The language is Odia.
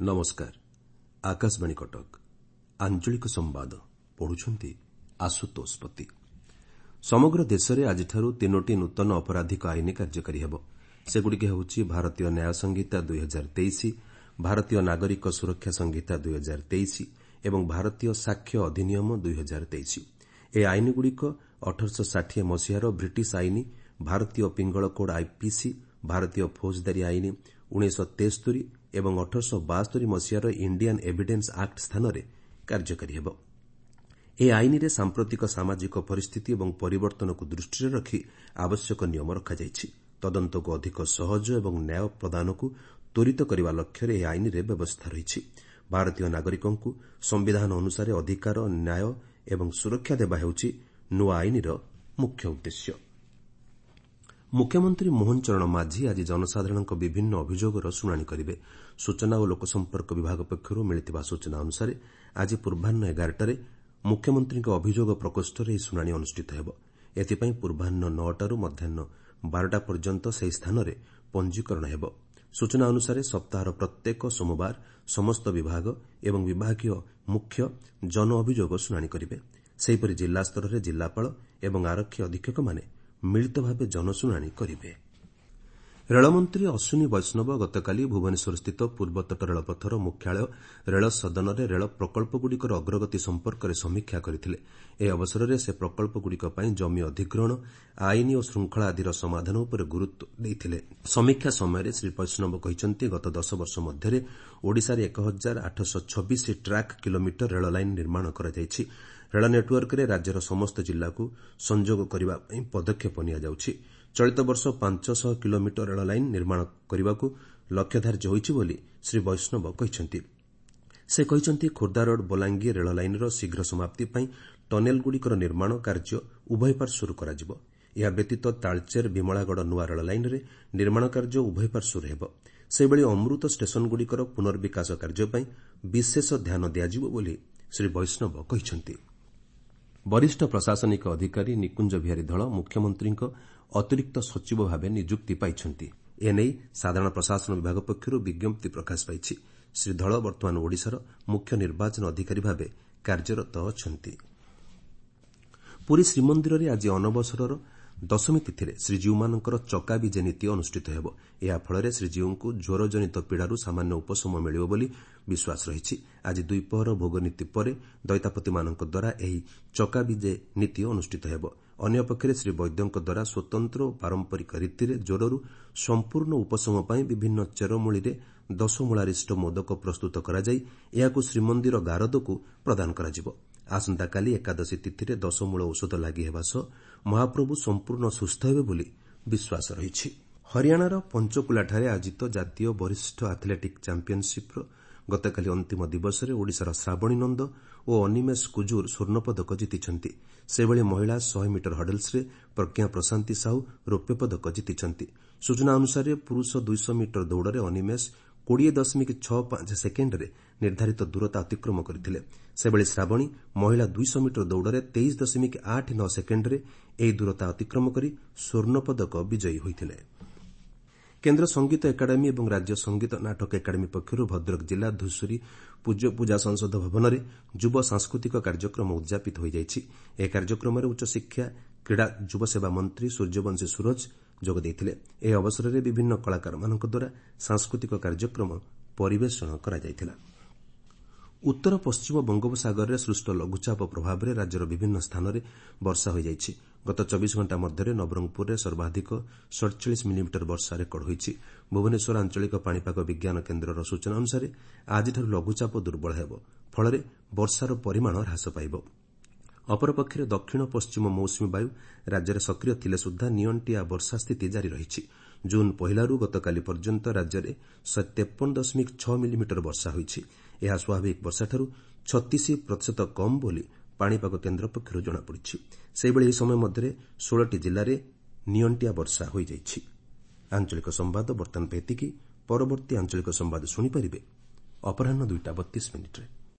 ନମସ୍କାର, ଆକାଶବାଣୀ କଟକ। ଆଞ୍ଚଳିକ ସମ୍ବାଦ ପଢୁଛନ୍ତି ଆଶୁତୋଷ ପତି। ସମଗ୍ର ଦେଶରେ ଆଜିଠାରୁ ତିନୋଟି ନୂତନ ଅପରାଧିକ ଆଇନ କାର୍ଯ୍ୟକାରୀ ହେବ। ସେଗୁଡ଼ିକ ହେଉଛି ଭାରତୀୟ ନ୍ୟାୟ ସଂହିତା 2023, ଭାରତୀୟ ନାଗରିକ ସୁରକ୍ଷା ସଂହିତା 2023 ଏବଂ ଭାରତୀୟ ସାକ୍ଷ୍ୟ ଅଧିନିୟମ 2023। ଏହି ଆଇନଗୁଡ଼ିକ 1860 ମସିହାର ବ୍ରିଟିଶ ଆଇନ, ଭାରତୀୟ ପିଙ୍ଗଳ କୋଡ୍ ଆଇପିସି, ଭାରତୀୟ ଫୌଜଦାରୀ ଆଇନ 1973 ଏବଂ 1872 ମସିହାର ଇଣ୍ଡିଆନ୍ ଏଭିଡେନ୍ସ ଆକ୍ଟ ସ୍ଥାନରେ କାର୍ଯ୍ୟକାରୀ ହେବ। ଏହି ଆଇନରେ ସାମ୍ପ୍ରତିକ ସାମାଜିକ ପରିସ୍ଥିତି ଏବଂ ପରିବର୍ତ୍ତନକୁ ଦୃଷ୍ଟିରେ ରଖି ଆବଶ୍ୟକ ନିୟମ ରଖାଯାଇଛି। ତଦନ୍ତକୁ ଅଧିକ ସହଜ ଏବଂ ନ୍ୟାୟ ପ୍ରଦାନକୁ ତ୍ୱରିତ କରିବା ଲକ୍ଷ୍ୟରେ ଏହି ଆଇନରେ ବ୍ୟବସ୍ଥା ରହିଛି। ଭାରତୀୟ ନାଗରିକଙ୍କୁ ସମ୍ବିଧାନ ଅନୁସାରେ ଅଧିକାର, ନ୍ୟାୟ ଏବଂ ସୁରକ୍ଷା ଦେବା ହେଉଛି ନୂଆ ଆଇନର ମୁଖ୍ୟ ଉଦ୍ଦେଶ୍ୟ। ମୁଖ୍ୟମନ୍ତ୍ରୀ ମୋହନ ଚରଣ ମାଝି ଆଜି ଜନସାଧାରଣଙ୍କ ବିଭିନ୍ନ ଅଭିଯୋଗର ଶୁଣାଣି କରିବେ। ସୂଚନା ଓ ଲୋକସମ୍ପର୍କ ବିଭାଗ ପକ୍ଷରୁ ମିଳିଥିବା ସୂଚନା ଅନୁସାରେ ଆଜି ପୂର୍ବାହ୍ନ 11ଟାରେ ମୁଖ୍ୟମନ୍ତ୍ରୀଙ୍କ ଅଭିଯୋଗ ପ୍ରକୋଷ୍ଠରେ ଏହି ଶୁଣାଣି ଅନୁଷ୍ଠିତ ହେବ। ଏଥିପାଇଁ ପୂର୍ବାହ୍ନ 9ଟାରୁ ମଧ୍ୟାହ୍ନ 12ଟା ପର୍ଯ୍ୟନ୍ତ ସେହି ସ୍ଥାନରେ ପଞ୍ଜୀକରଣ ହେବ। ସୂଚନା ଅନୁସାରେ ସପ୍ତାହର ପ୍ରତ୍ୟେକ ସୋମବାର ସମସ୍ତ ବିଭାଗ ଏବଂ ବିଭାଗୀୟ ମୁଖ୍ୟ ଜନ ଅଭିଯୋଗ ଶୁଣାଣି କରିବେ। ସେହିପରି ଜିଲ୍ଲାସ୍ତରରେ ଜିଲ୍ଲାପାଳ ଏବଂ ଆରକ୍ଷୀ ଅଧୀକ୍ଷକମାନେ ମିଳିତ ଭାବେ ଜନଶୁଣାଣି କରିବେ। ରେଳମନ୍ତ୍ରୀ ଅଶ୍ୱିନୀ ବୈଷ୍ଣବ ଗତକାଲି ଭୁବନେଶ୍ୱରସ୍ଥିତ ପୂର୍ବତଟ ରେଳପଥର ମୁଖ୍ୟାଳୟ ରେଳ ସଦନରେ ରେଳ ପ୍ରକଳ୍ପଗୁଡ଼ିକର ଅଗ୍ରଗତି ସମ୍ପର୍କରେ ସମୀକ୍ଷା କରିଥିଲେ। ଏହି ଅବସରରେ ସେ ପ୍ରକଳ୍ପଗୁଡ଼ିକ ପାଇଁ ଜମି ଅଧିଗ୍ରହଣ, ଆଇନ ଓ ଶୃଙ୍ଖଳା ଆଦିର ସମାଧାନ ଉପରେ ଗୁରୁତ୍ୱ ଦେଇଥିଲେ। ସମୀକ୍ଷା ସମୟରେ ଶ୍ରୀ ବୈଷ୍ଣବ କହିଛନ୍ତି, ଗତ 10 ବର୍ଷ ମଧ୍ୟରେ ଓଡ଼ିଶାରେ 1826 ଟ୍ରାକ୍ କିଲୋମିଟର ରେଳ ଲାଇନ୍ ନିର୍ମାଣ କରାଯାଇଛି। ରେଳ ନେଟ୍ୱର୍କରେ ରାଜ୍ୟର ସମସ୍ତ ଜିଲ୍ଲାକୁ ସଂଯୋଗ କରିବା ପାଇଁ ପଦକ୍ଷେପ ନିଆଯାଉଛି। ଚଳିତ ବର୍ଷ 500 କିଲୋମିଟର ରେଳ ଲାଇନ୍ ନିର୍ମାଣ କରିବାକୁ ଲକ୍ଷ୍ୟ ଧାର୍ଯ୍ୟ ହୋଇଛି ବୋଲି ଶ୍ରୀ ବୈଷ୍ଣବ କହିଛନ୍ତି। ସେ କହିଛନ୍ତି, ଖୋର୍ଦ୍ଧାରୋଡ୍ ବଲାଙ୍ଗୀର ରେଳ ଲାଇନ୍ର ଶୀଘ୍ର ସମାପ୍ତି ପାଇଁ ଟନେଲଗୁଡ଼ିକର ନିର୍ମାଣ କାର୍ଯ୍ୟ ଉଭୟ ପାର୍ଶ୍ୱରୁ କରାଯିବ। ଏହା ବ୍ୟତୀତ ତାଳଚେର ବିମଳାଗଡ଼ ନୂଆ ରେଳ ଲାଇନ୍ରେ ନିର୍ମାଣ କାର୍ଯ୍ୟ ଉଭୟ ପାର୍ଶ୍ୱରୁ ହେବ। ସେହିଭଳି ଅମୃତ ଷ୍ଟେସନଗୁଡ଼ିକର ପୁନର୍ବିକାଶ କାର୍ଯ୍ୟ ପାଇଁ ବିଶେଷ ଧ୍ୟାନ ଦିଆଯିବ ବୋଲି ଶ୍ରୀ ବୈଷ୍ଣବ କହିଛନ୍ତି। ବରିଷ୍ଠ ପ୍ରଶାସନିକ ଅଧିକାରୀ ନିକୁଞ୍ଜ ବିହାରୀ ଧଳ ମୁଖ୍ୟମନ୍ତ୍ରୀଙ୍କ ଅତିରିକ୍ତ ସଚିବ ଭାବେ ନିଯୁକ୍ତି ପାଇଛନ୍ତି। ଏନେଇ ସାଧାରଣ ପ୍ରଶାସନ ବିଭାଗ ପକ୍ଷରୁ ବିଜ୍ଞପ୍ତି ପ୍ରକାଶ ପାଇଛି। ଶ୍ରୀ ଧଳ ବର୍ତ୍ତମାନ ଓଡ଼ିଶାର ମୁଖ୍ୟ ନିର୍ବାଚନ ଅଧିକାରୀ ଭାବେ କାର୍ଯ୍ୟରତ ଅଛନ୍ତି। ପୁରୀ ଶ୍ରୀମନ୍ଦିରରେ ଆଜି ଅନବସରର ଦଶମୀ ତିଥିରେ ଶ୍ରୀଜୀଉମାନଙ୍କର ଚକାବିଜେ ନୀତି ଅନୁଷ୍ଠିତ ହେବ। ଏହାଫଳରେ ଶ୍ରୀଜୀଉଙ୍କୁ ଜ୍ୱରଜନିତ ପୀଡ଼ାରୁ ସାମାନ୍ୟ ଉପଶମ ମିଳିବ ବୋଲି ବିଶ୍ୱାସ ରହିଛି। ଆଜି ଦ୍ୱିପହର ଭୋଗନୀତି ପରେ ଦଇତାପତିମାନଙ୍କ ଦ୍ୱାରା ଏହି ଚକାବିଜେ ନୀତି ଅନୁଷ୍ଠିତ ହେବ। ଅନ୍ୟପକ୍ଷରେ ଶ୍ରୀ ବୈଦ୍ୟଙ୍କ ଦ୍ୱାରା ସ୍ୱତନ୍ତ୍ର ଓ ପାରମ୍ପରିକ ରୀତିରେ ଜ୍ୱରରୁ ସମ୍ପୂର୍ଣ୍ଣ ଉପଶମ ପାଇଁ ବିଭିନ୍ନ ଚେରମୂଳିରେ ଦଶମୂଳାରିଷ୍ଟ ମୋଦକ ପ୍ରସ୍ତୁତ କରାଯାଇ ଏହାକୁ ଶ୍ରୀମନ୍ଦିର ଗାରଦକୁ ପ୍ରଦାନ କରାଯିବ। ଆସନ୍ତାକାଲି ଏକାଦଶୀ ତିଥିରେ ଦଶମୂଳ ଔଷଧ ଲାଗି ହେବା ସହ ମହାପ୍ରଭୁ ସମ୍ପୂର୍ଣ୍ଣ ସୁସ୍ଥ ହେବେ ବୋଲି ବିଶ୍ୱାସ ରହିଛି। ହରିୟାଣାର ପଞ୍ଚକୁଲାଠାରେ ଆୟୋଜିତ ଜାତୀୟ ବରିଷ୍ଠ ଆଥଲେଟିକ୍ ଚାମ୍ପିୟନସିପ୍ର ଗତକାଲି ଅନ୍ତିମ ଦିବସରେ ଓଡ଼ିଶାର ଶ୍ରାବଣୀ ନନ୍ଦ ଓ ଅନିମେଷ କୁଜୁର ସ୍ୱର୍ଣ୍ଣପଦକ ଜିତିଛନ୍ତି। ସେହିଭଳି ମହିଳା 100 ମିଟର ହଡଲ୍ସରେ ପ୍ରଜ୍ଞା ପ୍ରଶାନ୍ତି ସାହୁ ରୌପ୍ୟ ପଦକ ଜିତିଛନ୍ତି। ସୂଚନା ଅନୁସାରେ ପୁରୁଷ 200 ମିଟର ଦୌଡ଼ରେ ଅନିମେଷ 20.65 ସେକେଣ୍ଡରେ ନିର୍ଦ୍ଧାରିତ ଦୂରତା ଅତିକ୍ରମ କରିଥିଲେ। ସେହିଭଳି ଶ୍ରାବଣୀ ମହିଳା 200 ମିଟର ଦୌଡ଼ରେ 23.89 ସେକେଣ୍ଡରେ ଏହି ଦୂରତା ଅତିକ୍ରମ କରି ସ୍ୱର୍ଣ୍ଣପଦକ ବିଜୟୀ ହୋଇଥିଲେ। କେନ୍ଦ୍ର ସଙ୍ଗୀତ ଏକାଡେମୀ ଏବଂ ରାଜ୍ୟ ସଙ୍ଗୀତ ନାଟକ ଏକାଡେମୀ ପକ୍ଷରୁ ଭଦ୍ରକ ଜିଲ୍ଲା ଧୂଷୁରୀ ପୂଜ୍ୟ ପୂଜା ସଂସଦ ଭବନରେ ଯୁବ ସାଂସ୍କୃତିକ କାର୍ଯ୍ୟକ୍ରମ ଉଦ୍ଯାପିତ ହୋଇଯାଇଛି। ଏହି କାର୍ଯ୍ୟକ୍ରମରେ ଉଚ୍ଚଶିକ୍ଷା, କ୍ରୀଡ଼ା, ଯୁବସେବା ମନ୍ତ୍ରୀ ସୂର୍ଯ୍ୟବଂଶୀ ସୂରଜ ଯୋଗ ଦେଇଥିଲେ। ଏହି ଅବସରରେ ବିଭିନ୍ନ କଳାକାରମାନଙ୍କ ଦ୍ୱାରା ସାଂସ୍କୃତିକ କାର୍ଯ୍ୟକ୍ରମ ପରିବେଷଣ କରାଯାଇଥିଲା। ଉତ୍ତର ପଶ୍ଚିମ ବଙ୍ଗୋପସାଗରରେ ସୃଷ୍ଟ ଲଘୁଚାପ ପ୍ରଭାବରେ ରାଜ୍ୟର ବିଭିନ୍ନ ସ୍ଥାନରେ ବର୍ଷା ହୋଇଯାଇଛି। ଗତ 24 ଘଣ୍ଟା ମଧ୍ୟରେ ନବରଙ୍ଗପୁରରେ ସର୍ବାଧିକ 47 ମିଲିମିଟର ବର୍ଷା ରେକର୍ଡ ହୋଇଛି। ଭୁବନେଶ୍ୱର ଆଞ୍ଚଳିକ ପାଣିପାଗ ବିଜ୍ଞାନ କେନ୍ଦ୍ରର ସୂଚନା ଅନୁସାରେ ଆଜିଠାରୁ ଲଘୁଚାପ ଦୁର୍ବଳ ହେବ, ଫଳରେ ବର୍ଷାର ପରିମାଣ ହ୍ରାସ ପାଇବ। ଅପରପକ୍ଷରେ ଦକ୍ଷିଣ ପଶ୍ଚିମ ମୌସୁମୀ ବାୟୁ ରାଜ୍ୟରେ ସକ୍ରିୟ ଥିଲେ ସୁଦ୍ଧା ନିଅଣ୍ଟିଆ ବର୍ଷା ସ୍ଥିତି ଜାରି ରହିଛି। ଜୁନ୍ 1ଲାରୁ ଗତକାଲି ପର୍ଯ୍ୟନ୍ତ ରାଜ୍ୟରେ 153.6 ମିଲିମିଟର ବର୍ଷା ହୋଇଛି। ଏହା ସ୍ୱାଭାବିକ ବର୍ଷାଠାରୁ 36% କମ୍ ବୋଲି ପାଣିପାଗ କେନ୍ଦ୍ର ପକ୍ଷରୁ ଜଣାପଡ଼ିଛି। ସେହିଭଳି ଏହି ସମୟ ମଧ୍ୟରେ 16ଟି ଜିଲ୍ଲାରେ ନିଅଣ୍ଟିଆ ବର୍ଷା ହୋଇଯାଇଛି। ଆଞ୍ଚଳିକ ସମ୍ବାଦ ବର୍ତ୍ତମାନ ପାଇଁ ଏତିକି। ପରବର୍ତ୍ତୀ ଆଞ୍ଚଳିକ ସମ୍ବାଦ ଶୁଣିପାରିବେ ଅପରାହ୍ନ 2ଟା 32 ମିନିଟ୍ରେ।